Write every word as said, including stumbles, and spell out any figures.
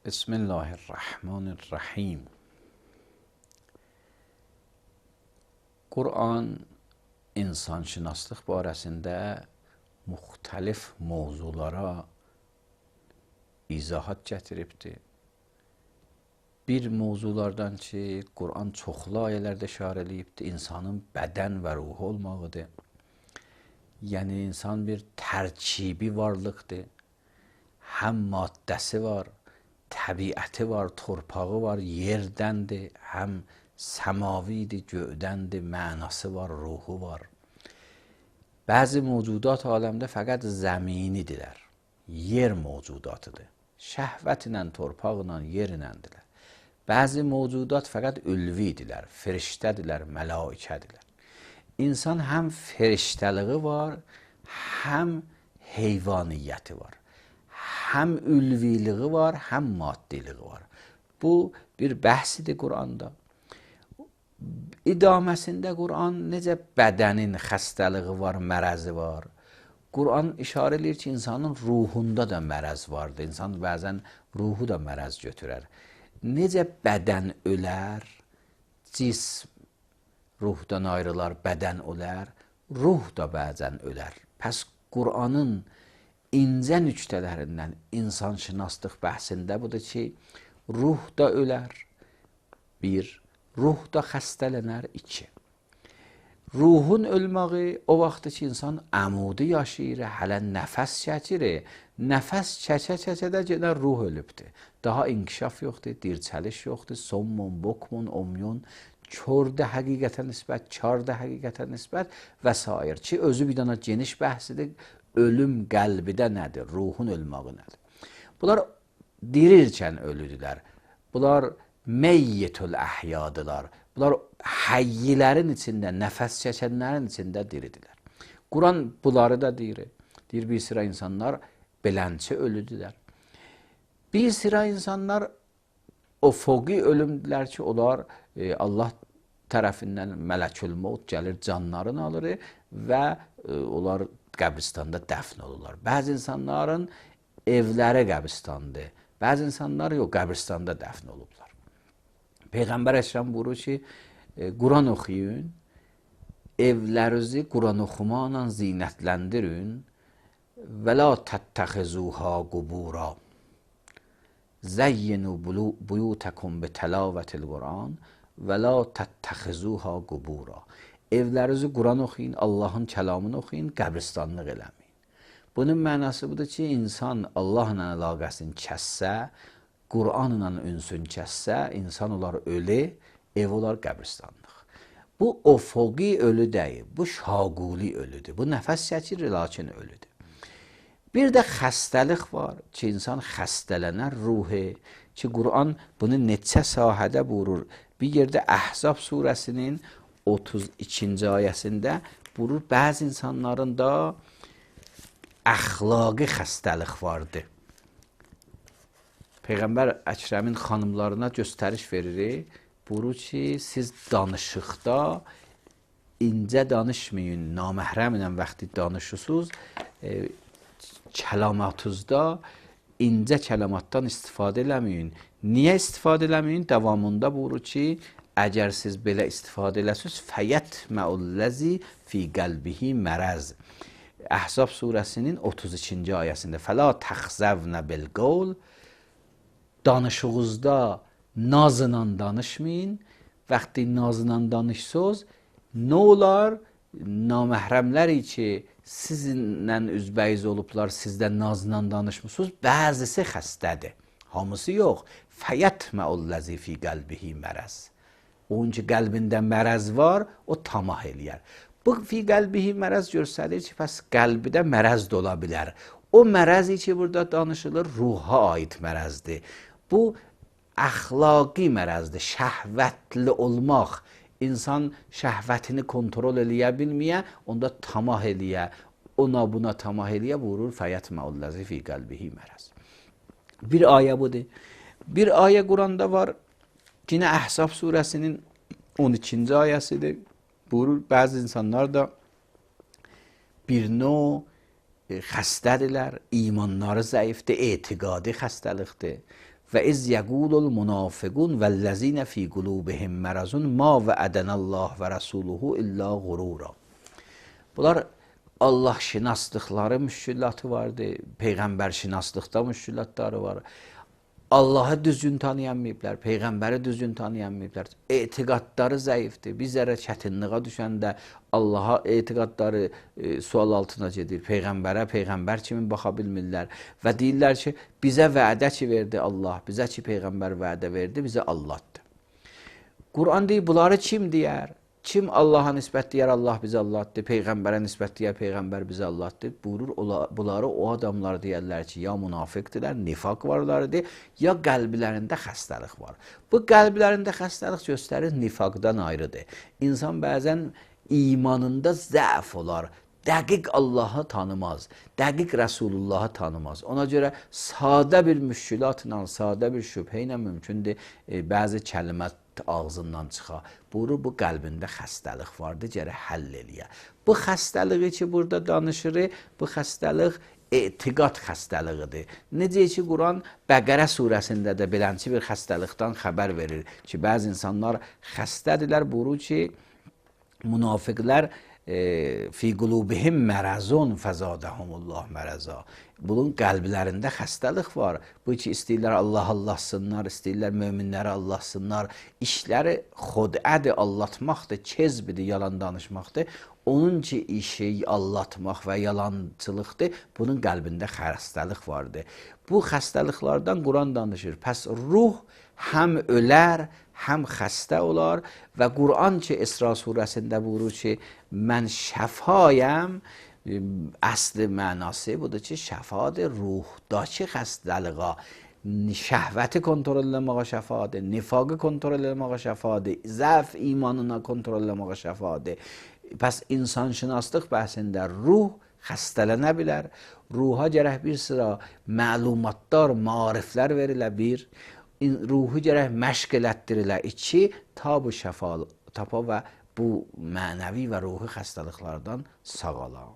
بسم الله الرحمن الرحیم. Qur'an insanşünaslıq barəsində müxtəlif mövzulara izahat gətiribdir. Bir mövzulardan ki, Qur'an çoxlu ayələrdə işarə edibdir, insanın bədən və ruhu olmağıdır. Yəni, insan bir tərkibi varlıqdır. Həm maddəsi var, təbiəti var, torpağı var, yerdəndir, həm səmavidir, göydəndir, mənası var, ruhu var. Bəzi mövcudat aləmdə fəqət zəminidirlər, yer mövcudatıdır. Şəhvət ilə, torpaqla, yer iləndirlər. Bəzi mövcudat fəqət ülvidirlər, firiştədirlər, mələikədirlər. İnsan həm firiştəliği var, həm heyvaniyyəti var. Həm ülviliği var, həm maddiliği var. Bu bir bəhsidir Qur'anda. İdaməsində Qur'an necə bədənin xəstəliği var, mərəzi var. Qur'an işarə edir ki, insanın ruhunda da mərəz vardır. İnsan bəzən ruhu da mərəz götürər. Necə bədən ölər, cism ruhdan ayrılar, bədən ölər, ruh da bəzən ölər. Pəs Qur'anın incə nüktələrindən insanşünaslıq bəhsində budur ki, ruh da ölər, bir, ruh da xəstələnər, iki. Ruhun ölməyi o vaxtdır ki, insan əmudi yaşayır, hələ nəfəs çəkir, nəfəs çəkə-çəkə də gedər ruh ölübdür. Daha inkişaf yoxdur, dirçəliş yoxdur, sommun, bokmun, omyun, kördə həqiqətə nisbət, karda həqiqətə nisbət və s. ki, özü bir dana geniş bəhsidir. Ölüm qəlbidə nədir? Ruhun ölməyi nədir? Bunlar dirirkən ölüdülər. Bunlar meyyetül əhyadılar. Bunlar həyyilərin içində, nəfəs çəkənlərin içində diridilər. Quran bunları da deyir. Deyir, bir sıra insanlar belənçi ölüdülər. Bir sıra insanlar o foqi ölümdülər ki, onlar e, Allah tərəfindən mələkül mevt gəlir, canlarını alır və e, onlar qəbristanda dəfn olurlar. Bəzi insanların evləri qəbristandır. Bəzi insanlar yox, qəbristanda dəfn olublar. Peyğəmbər Əkrəm buyurur ki, e, Quran oxuyun, evlərinizi Quran oxumaqla zinətləndirin və la təttəxizuha qubura. Zəyyinu buyutəkum bi təlavətil Quran və la təttəxizuha qubura. Evlərinizi Quran oxuyun, Allahın kəlamını oxuyun, qəbristanlıq eləməyin. Bunun mənası budur ki, insan Allahla əlaqəsini kəssə, Quranla ünsün kəssə, insan olar ölü, ev olar qəbristanlıq. Bu ofoqi ölü deyil, bu şaguli ölüdür. Bu nəfəs çəkir, lakin ölüdür. Bir də xəstəlik var ki, insan xəstələnər ruhu, ki, Quran bunu neçə sahədə buyurur. Bir yerdə Əhzab surəsinin otuz ikinci ayəsində buyurur, bəzi insanların da əxlaqi xəstəlik vardır. Peyğəmbər Əkrəmin xanımlarına göstəriş verir, buyurur ki, siz danışıqda incə danışmayın, naməhrəmlə vaxtı danışırsınız, e, kəlamatınızda incə kəlamatdan istifadə eləməyin. Niyə istifadə eləməyin? Davamında buyurur ki, əgər siz belə istifadə eləsiniz, fəyətməulləzi fi qəlbihi mərəz. Əhzab surəsinin otuz ikinci ayəsində fəla təxzəvnə bilqol, danışığınızda nazla danışmayın. Vaxtı nazla danışsınız, nə olar? Naməhrəmləri ki, sizinlə üzbəyiz olublar, sizdə nazla danışmısınız, bəzisi xəstədir, hamısı yox. Fəyətməulləzi fi qəlbihi mərəz. Onun ki, qəlbində mərəz var, o tamah eləyər. Bu fi qəlbihi mərəz göstərir ki, pəs qəlbidə mərəz də ola bilər. O mərəzi ki, burada danışılır, ruha aid mərəzdir. Bu, əxlaqi mərəzdir, şəhvətli olmaq. İnsan şəhvətini kontrol eləyə bilməyə, onda tamah eləyə, ona buna tamah eləyə buyurur, fəyətməulləzi fi qəlbihi mərəz. Bir ayə budur. Bir ayə Quranda var, yine Əhzab surəsinin on ikinci ayəsidir. Buyurur, bəzi insanlar da bir növ xəstədirlər, imanları zəifdir, etiqadi xəstəlikdir. və iz yəqulul munafiqun vəllezine fi qulubihim marazun ma va'adanallah və rasuluhu illa qurura. Bunlar Allah şinaslıqları müşkülatı vardı, peyğəmbər şinaslıqda müşkülatları var. Allah'ı düzgün tanıyamayıblar, peyğəmbəri düzgün tanıyamayıblar. Etiqadları zəifdir. Bizlərə çətinliğə düşəndə Allah'a etiqadları e, sual altına gedir. Peyğəmbərə, peyğəmbər kimi baxa bilmirlər və deyirlər ki, bizə vədə ki verdi Allah, bizə ki peyğəmbər vədə verdi, bizə Allahdır. Quran deyir, bunları kim deyər? Kim Allah'a nisbət deyər, Allah bizə Allahdır, peyğəmbərə nisbət deyər, peyğəmbər bizə Allahdır. Buyurur, bunları o adamlar deyərlər ki, ya münafiqdirlər, nifaq varlardır, ya qəlblərində xəstəlik var. Bu qəlblərində xəstəlik göstərir, nifaqdan ayrıdır. İnsan bəzən imanında zəf olar, dəqiq Allah'ı tanımaz, dəqiq Resulullah'ı tanımaz. Ona görə sadə bir müşkülatla, sadə bir şübhə ilə mümkündür e, bəzi kəlmət ağzından çıxa. Buyurur, bu qəlbində xəstəlik vardı, gərək həll eləyə. Bu xəstəliyi ki, burada danışırıq, bu xəstəlik etiqad xəstəliyidir. Necə ki, Quran Bəqərə surəsində də belənçi bir xəstəlikdən xəbər verir ki, bəzi insanlar xəstədirlər, buyurur ki, münafiqlər e, fi qulubihim mərazun fəzadəhumullah məraza. Bunun qəlblərində xəstəlik var. Bu ki, istəyirlər Allah Allahsınlar, istəyirlər möminləri Allahsınlar. İşləri xudədir, allatmaqdır, kezbidir, yalan danışmaqdır. Onun ki, işi allatmaq və yalançılıqdır, bunun qəlbində xəstəlik vardır. Bu xəstəliklərdən Quran danışır. Pəs ruh həm ölər, həm xəstə olar və Quran ki, İsra surəsində buyurur ki, mən şəfayəm, əsli mənası budur ki, şəfadır ruhdakı xəstəliğa, şəhvəti kontrol eləməyə şəfadır, nifaqı kontrol eləməyə şəfadır, zəf imanına kontrol eləməyə şəfadır. Pəs insanşünaslıq bəhsində ruh xəstələnə bilər, ruha gərək bir sıra məlumatlar, mariflər verilə bir, ruhu gərək məşq elətdirilə iki, ta bu şəfa tapa və bu mənəvi və ruhi xəstəliklərdən sağala.